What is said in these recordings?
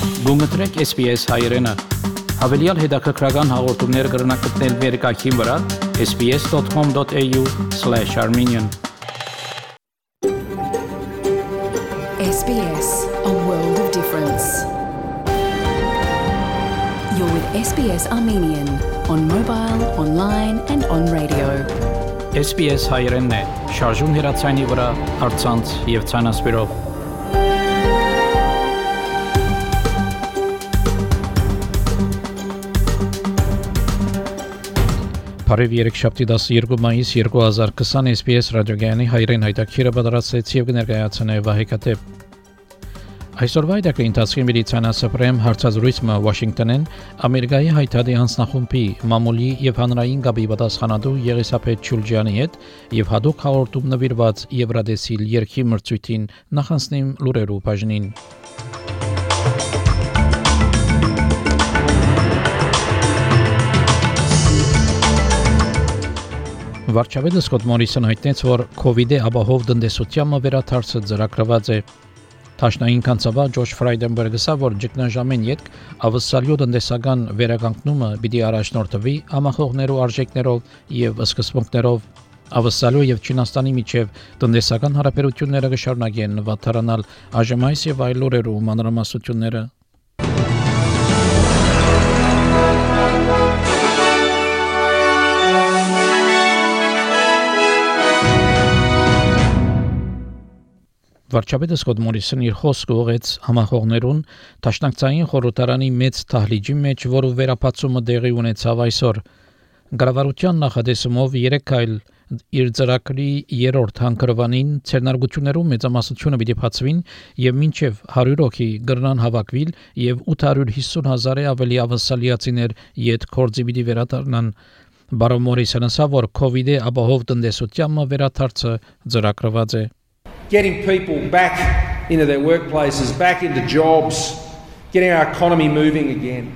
Գումտրեք SPS հայրենը, հավելյալ հետաքրքրական հաղորդումներ կգրնակցնել վերկայքին վրա sbs.com.au/armenian SBS, a world of difference. You're with SBS Armenian on mobile, online and on radio. SPS հայրենն է, շարժուն հեռացայինի վրա, առցանց եւ ցանասպիրով։ Բարև երեքշաբթի 12 մայիս 2020 SPS ռադիոգյանի հայրեն հայտակիրը պատրաստեց եւ կներկայացնե Վահեկատե։ Այսօրվա այդակի ընթացքի միլիցիանասպրեմ հարցազրույցը Վաշինգտոնեն Ամերիկայի հայտարարի հանձնախումբի մամուլի եւ հանրային գաբի պատասխանատու Եղիսաբեթ Չուլջյանի հետ եւ հadoop հաղորդում նվիրված Եվրադեսիլ երկի մրցույթին նախանցնիմ լուրերու բաժնին։ Վարչապետ Սկոտ Մորիսոնը հայտնեց, որ COVID-ի ապահով տնտեսությանը վերաթարցը ծրագրված է։ Տաշնային կանցավար Ջոշ Ֆրայդենբերգը ասա, որ ճգնաժամեն յետք ավսալյո տնտեսական վերականգնումը պիտի առաջնորդվի համախոհներու արժեքներով եւ սկզբունքներով։ Ավսալյո եւ Չինաստանի միջև տնտեսական հարաբերությունները կշարունակեն վատթարանալ այժմ այս եւ այլ օրերու մանրամասնությունները։ Վարչապետը Սկոտ Մորիսոնը իր խոսքը ուղղեց համախոհներուն Դաշնակցային խորհրդարանի մեծ թահլիճի մեջ, որը վերապացումը դեղի ունեցավ այսօր։ Գարավարության նախադեсումով 3 այլ իր ծրագրի երրորդ հանգրվանին ցերնարգություններում մեծամասնությունը պիտի բացվին եւ մինչեւ 100 հոգի գրնան հավաքվել եւ 850,000-ը ավելի ավասալիացիներ յետ կորձի պիտի վերադառնան։ Բարոն Մորիսոնը ասա, որ COVID-ի ապահով տնտեսությանը վերաթարցը ծրագրված է։ Getting people back into their workplaces, back into jobs, getting our economy moving again.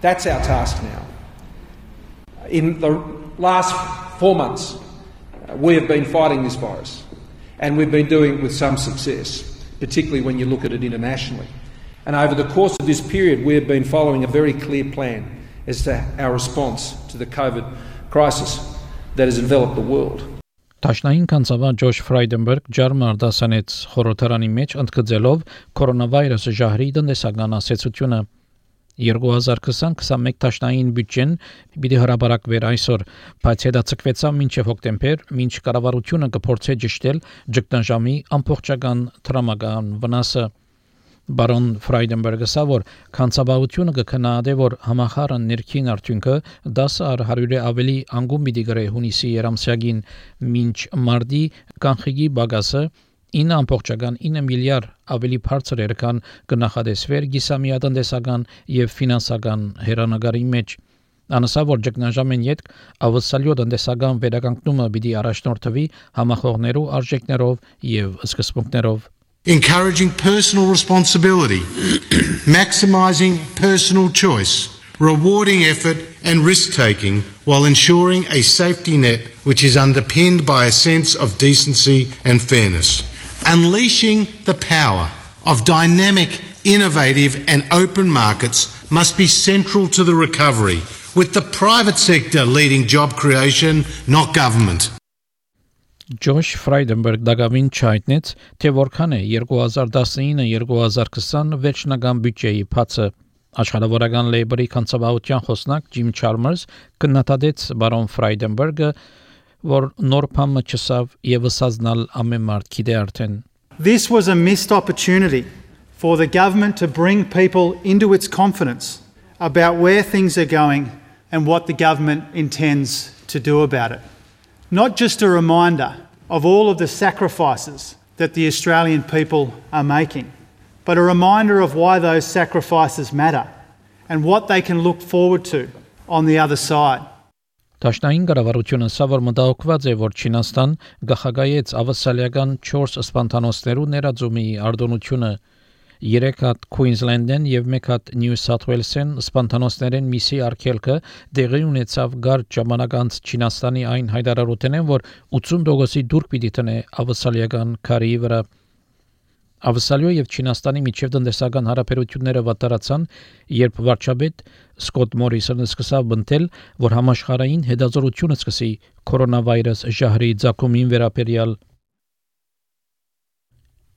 That's our task now. In the last 4 months, we have been fighting this virus, and we've been doing it with some success, particularly when you look at it internationally. And over the course of this period, we have been following a very clear plan as to our response to the COVID crisis that has enveloped the world. Տաշնային կանցավար Ջոշ Ֆրայդենբերգ ջարմար դասանեց խորհրդարանի մեջ ընդգծելով կորոնավիրուսի ժահրի տնտեսական ասացությունը 2020-21 տաշնային բյուջեն պիտի հրապարակվեր այսօր, բայց հետաձգվեցավ մինչև հոկտեմբեր, մինչ կառավարությունը կփորձի ճշտել ճգնաժամի ամբողջական տրամական վնասը։ Բարոն Ֆրայդենբերգը ասա, որ կանցաբավությունը կքննադե, որ համախառն ներքին արդյունքը 10% ավելի անգամ պիտի գրե հունիսի երամսյակին, մինչ մարտի կանխիկի բագասը 9.9 միլիարդ ավելի բարձր էր, քան կնախադեсվեր գիսամիատնտեսական եւ ֆինանսական հերանագարի մեջ։ Անասա, որ ճգնաժամեն յետք ավսալյո տնտեսական վերականգնումը պիտի առաջնորդվի համախոհներու արժեքներով եւ սկզբունքներով։ Encouraging personal responsibility, maximising personal choice, rewarding effort and risk-taking while ensuring a safety net which is underpinned by a sense of decency and fairness. Unleashing the power of dynamic, innovative and open markets must be central to the recovery, with the private sector leading job creation, not government. Ջոշ Ֆրայդենբերգ դակավին չայտնեց, թե որքան է 2019-2020 վերջնական բյուջեի բացը։ Աշխատավորական լեյբերի կանցաբավության խոսնակ Ջիմ Չալմերս կնատադեց բարոն Ֆրայդենբերգը, որ նոր փամը չսավ եւ ասազնալ ամեն մարդ գիտե արդեն։ This was a missed opportunity for the government to bring people into its confidence about where things are going and what the government intends to do about it. Not just a reminder of all of the sacrifices that the Australian people are making, but a reminder of why those sacrifices matter and what they can look forward to on the other side. Տաշնային կառավարությունը սա որ մտահոգված է, որ Չինաստան գախագայեց ավասալիական 4 սպանթանոցներու ներածումի արտոնությունը 3 հատ Queensland-ն եւ 1 հատ New South Wales-ն սպանթանոցներեն միսի արկելքը դեղի ունեցավ գարտ ժամանակ անց Չինաստանի այն հայտարարությունն, որ 80%-ի դուրք պիտի տնե ավասալիական քարի վրա։ Ավսալիո եւ Չինաստանի միջև տնտեսական հարաբերությունները վատարացան, երբ վարչապետ Սկոտ Մորիսոնը սկսավ բնտել, որ համաշխարհային հետազոտությունը սկսի կորոնավիրուս ժահրի ցակումին վերաբերյալ։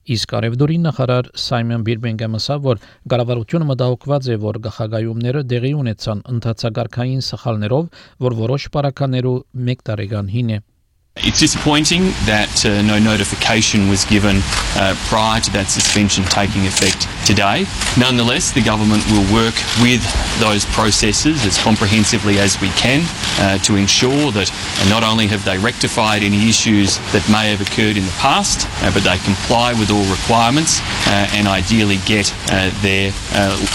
Իսկ արևդուրի նախարար Սայմոն Բիրմինգհամը ասավ, որ կառավարությունը մտահոգված է, որ գաղագայումները դեղի ունեցան ընթացակարգային սխալներով, որ որոշ պարականերու 1 տարեկան հին է։ It's disappointing that no notification was given prior to that suspension taking effect today. Nonetheless, the government will work with those processes as comprehensively as we can to ensure that not only have they rectified any issues that may have occurred in the past, but they comply with all requirements and ideally get their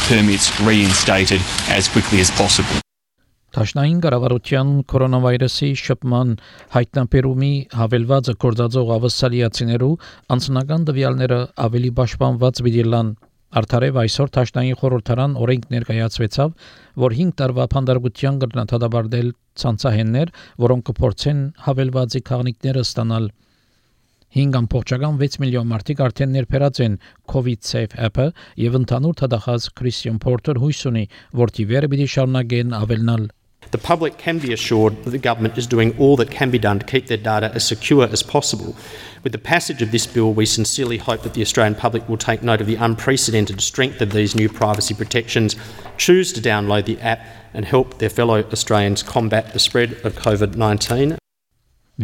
permits reinstated as quickly as possible. Տաշնային կառավարության կորոնավիրուսի շփման հայտնաբերումի հավելվածը կորցածող ավսալիացիներու անձնական տվյալները ավելի պաշտպանված դիլան արդարև այսօր Տաշնային խորհրդարան օրենք ներկայացվեցավ, որ 5 տարվա փանդարգության կրնաթադաբարդել ցանցահեններ, որոնք կփորձեն հավելվածի քաղաքները ստանալ 5.6 միլիոն մարդիկ արդեն ներբերած են COVID Safe app-ը եւ ընդհանուր թադախած Christian Porter հույս ունի, որ թիվերը պիտի շարունակեն ավելնալ. The public can be assured that the government is doing all that can be done to keep their data as secure as possible. With the passage of this bill, we sincerely hope that the Australian public will take note of the unprecedented strength of these new privacy protections, choose to download the app and help their fellow Australians combat the spread of COVID-19.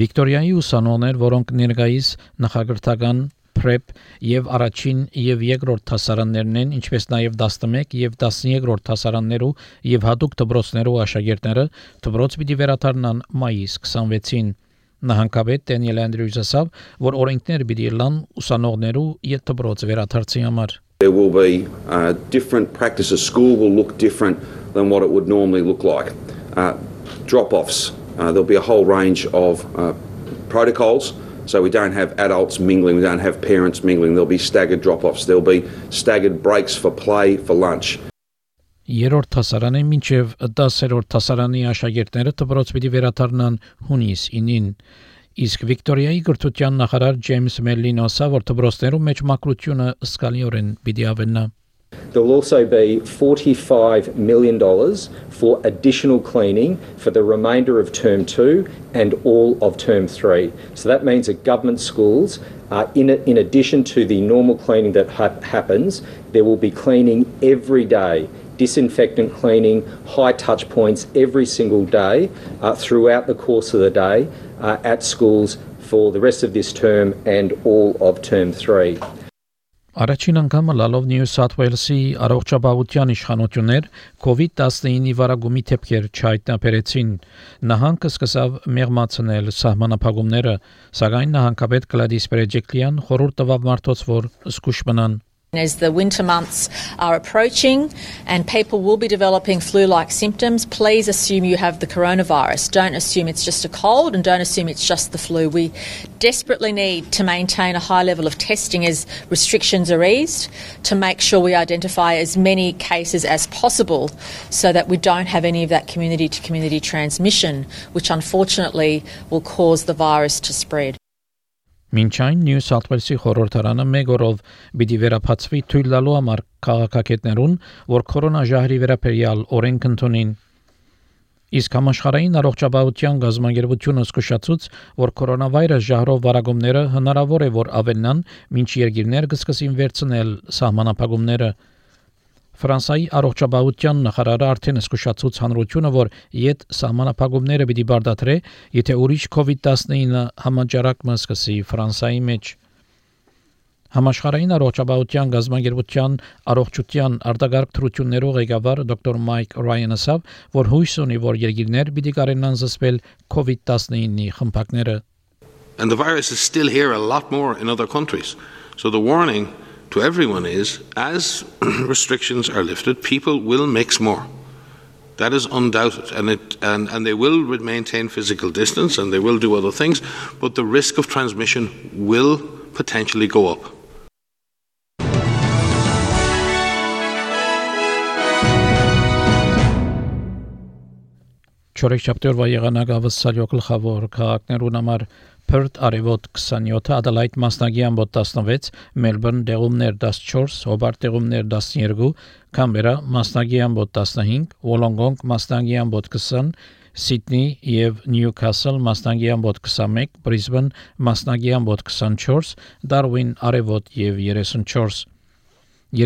Վիկտորիայի ուսանողներ, որոնք ներկայիս նախագահական PrEP եւ առաջին եւ երկրորդ դասարաններն են, ինչպես նաեւ 11 եւ 13-րդ դասարաններու եւ հատուկ դպրոցներու աշակերտները դպրոց պիտի վերադառնան մայիս 26-ին։ Նահանգապետ Դենիել Անդրյուզը ասավ, որ օրենքներ պիտի լան ուսանողներու եւ դպրոց վերադարձի համար։ There will be different practices. School will look different than what it would normally look like. Drop-offs. There'll be a whole range of protocols. So we don't have adults mingling, we don't have parents mingling. There'll be staggered drop-offs. There'll be staggered breaks for play, for lunch. Երրորդ դասարանի մինչև 10-րդ դասարանի աշակերտները դպրոց պիտի վերադառնան հունիս 9-ին։ Իսկ Վիկտորիայի գրթության նախարար Ջեյմս Մելլին ասավ, որ դպրոցներում մեջ մակրությունը զգալիորեն պիտի ավելնա։ There will also be $45 million for additional cleaning for the remainder of Term 2 and all of Term 3. So that means that government schools, in addition to the normal cleaning that happens, there will be cleaning every day, disinfectant cleaning, high touch points every single day throughout the course of the day at schools for the rest of this term and all of Term 3. Առաջին անգամ լալով Նյու Սաթ Ուելսի առողջապահության իշխանություններ COVID-19-ի վարագումի դեպքեր չհայտնաբերեցին։ Նահանգը սկսավ մեղմացնել սահմանափակումները, սակայն նահանգապետ Գլադիս Բերեջիկլյան խորհուրդ տվավ մարդոց, որ զգուշ մնան։ As the winter months are approaching and people will be developing flu-like symptoms, please assume you have the coronavirus. Don't assume it's just a cold and don't assume it's just the flu. We desperately need to maintain a high level of testing as restrictions are eased to make sure we identify as many cases as possible so that we don't have any of that community-to-community transmission, which unfortunately will cause the virus to spread. Մինչ այն Նյու Սաթ Ուելսի խորհրդարանը մեկ օրով պիտի վերապացվի թույլ տալու համար քաղաքագետներուն, որ կորոնաժահրի վերաբերյալ օրենք ընդունին։ Իսկ համաշխարհային առողջապահության գազագերբությունը զսկուշացուց, որ կորոնավիրուս ժահրով վարագումները հնարավոր է որ ավելնան, մինչ երկիրներ կսկսին վերցնել սահմանափակումները։ Ֆրանսիայի առողջապահության նախարարը արդեն զսկուշացուց հանրությունը, որ իդ սահմանափակումները պիտի բարդատրե, եթե ուրիշ COVID-19 համաճարակը սկսի Ֆրանսիայի մեջ։ Համաշխարհային առողջապահության գազագերբության առողջության արտագաղթ թրություններով ղեկավար դոկտոր Մայք Ռայանը ասավ, որ հույս ունի, որ երկիրներ պիտի կարենան զսպել COVID-19-ի խմբակները։ And the virus is still here a lot more in other countries. So the warning to everyone is, as restrictions are lifted, people will mix more. That is undoubted, and they will maintain physical distance and they will do other things, but the risk of transmission will potentially go up. Չորեքշաբթի օրվա եղանակը ավսալյո գլխավոր քաղաքներուն համար Perth արևոտ 27, Adelaide մասնագի ամբոտ 16, Melbourne դեղումներ 14, Hobart դեղումներ 12, Canberra մասնագի ամբոտ 15, Wollongong մասնագի ամբոտ 20, Sydney եւ Newcastle մասնագի ամբոտ 21, Brisbane մասնագի ամբոտ 24, Darwin արևոտ եւ 34։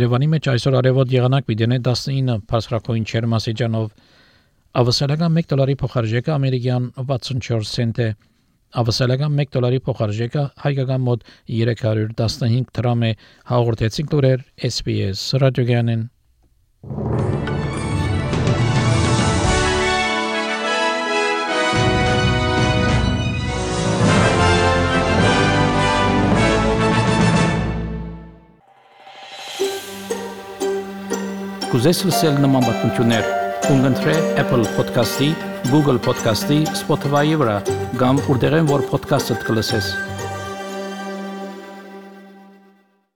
Երևանի մեջ այսօր արևոտ եղանակ պիտի 19 բարձրակույն չերմասեջանով ավսալական $1 փոխարժեքը ամերիկյան 64 سنت է ավսալական $1 փոխարժեքը հայկական մոտ 315 դրամ է հաղորդեցինք լուրեր SPS ռադիոգյանեն Կուզես լսել նման բանություններ Ունգընտրե Apple Podcast-ի, Google Podcast-ի, Spotify-ի վրա, կամ որտեղեն որ podcast-ըդ կլսես։